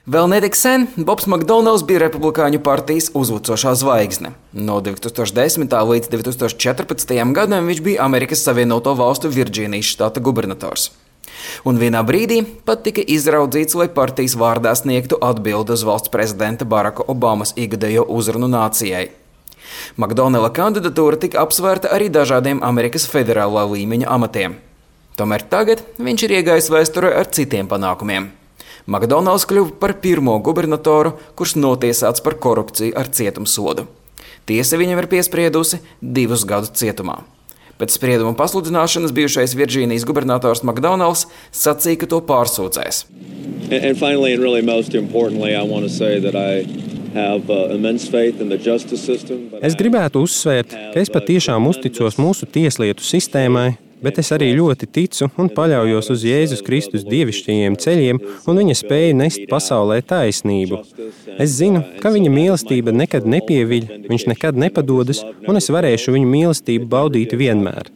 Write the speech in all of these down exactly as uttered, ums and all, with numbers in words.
Vēl netik sen Bobs Makdonalds bija Republikāņu partijas uzvucošā zvaigzne. No divi tūkstoši desmitā līdz divi tūkstoši četrpadsmitajam gadam viņš bija Amerikas Savienoto Valstu Virdžīnijas štata gubernators. Un vienā brīdī pat tika izraudzīts, lai partijas vārdā sniegtu atbildi uz valsts prezidenta Baraka Obamas ikgadējo uzrunu nācijai. Makdonalda kandidatūra tika apsvērta arī dažādiem Amerikas federālā līmeņa amatiem. Tomēr tagad viņš ir iegājis vēsturē ar citiem panākumiem. Makdonalds kļuva par pirmo gubernatoru, kurš notiesāts par korupciju ar cietumsodu. Tiesa viņam ir piespriedusi divus gadus cietumā. Pēc sprieduma pasludināšanas bijušais Virdžīnijas gubernators Makdonalds sacīja, ka to pārsūdzēs. And finally, and really most importantly, I want to say that I have uh, immense faith in the justice system. Es gribētu uzsvērt, ka es patiešām uzticos mūsu tieslietu sistēmai, bet es arī ļoti ticu un paļaujos uz Jēzus Kristus dievišķajiem ceļiem un viņa spēju nest pasaulē taisnību. Es zinu, ka viņa mīlestība nekad nepieviļ, viņš nekad nepadodas, un es varēšu viņa mīlestību baudīt vienmēr.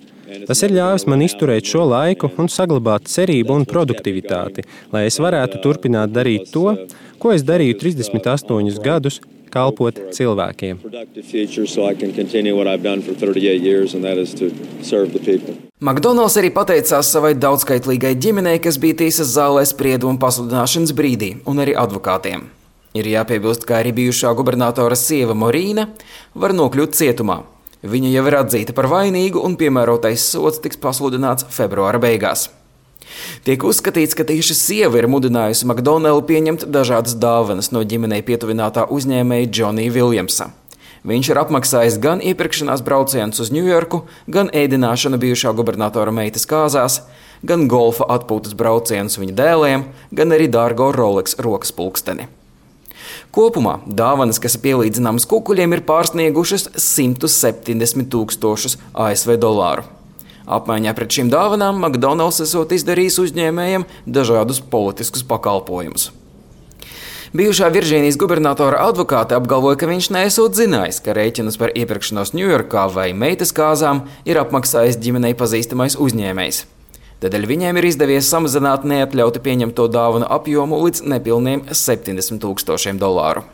Tas ir ļāvis man izturēt šo laiku un saglabāt cerību un produktivitāti, lai es varētu turpināt darīt to, ko es darīju trīsdesmit astoņus gadus, kalpot cilvēkiem. Makdonalds arī pateicās savai daudzskaitlīgai ģimenei, kas bija tiesas zālē sprieduma pasludināšanas brīdī, un arī advokātiem. Ir jāpiebilst, ka arī bijušā gubernatora sieva Morīna var nokļūt cietumā. Viņa jau ir atzīta par vainīgu un piemērotais sods tiks pasludināts februāra beigās. Tiek uzskatīts, ka tieši sieva ir mudinājusi Makdonaldu pieņemt dažādas dāvanas no ģimenei pietuvinātā uzņēmēja Džonija Viljamsa. Viņš ir apmaksājis gan iepirkšanās braucienus uz Ņujorku, gan ēdināšanu bijušā gubernatora meitas kāzās, gan golfa atpūtas braucienus viņa dēliem, gan arī dārgo Rolex rokas pulksteni. Kopumā dāvanas, kas ir pielīdzināmas kukuļiem, ir pārsniegušas simt septiņdesmit tūkstošus A S V dolāru. Apmaiņā pret šīm dāvanām Makdonalds esot izdarījis uzņēmējiem dažādus politiskus pakalpojumus. Bijušā Virdžīnijas gubernatora advokāte apgalvoja, ka viņš neesot zinājis, ka rēķinus par iepirkšanos Ņujorkā vai meitas kāzām ir apmaksājis ģimenei pazīstamais uzņēmējs. Tādēļ viņiem ir izdevies samazināt neatļauti pieņemto dāvanu apjomu līdz nepilniem septiņdesmit tūkstošiem dolāru.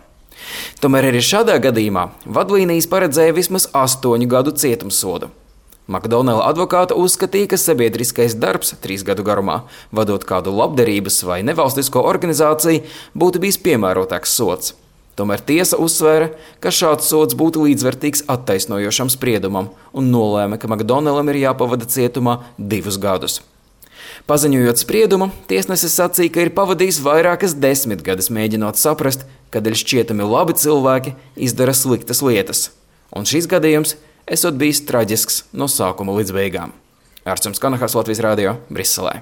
Tomēr arī šādā gadījumā vadlīnijas paredzēja vismaz astoņu gadu cietumsodu. Makdonalda advokāta uzskatīja, ka sabiedriskais darbs trīs gadu garumā, vadot kādu labdarības vai nevalstisko organizāciju, būtu bijis piemērotāks sods. Tomēr tiesa uzsvēra, ka šāds sods būtu līdzvērtīgs attaisnojošam spriedumam un nolēma, ka Makdonaldam ir jāpavada cietumā divus gadus. Paziņojot spriedumu, tiesnesis sacīja, ka ir pavadījis vairākas desmitgades mēģinot saprast, kādēļ šķietami labi cilvēki izdara sliktas lietas. Un šis gadījums esot bijis traģisks no sākuma līdz beigām. Ārsts Kanahas, Latvijas radio, Briselē.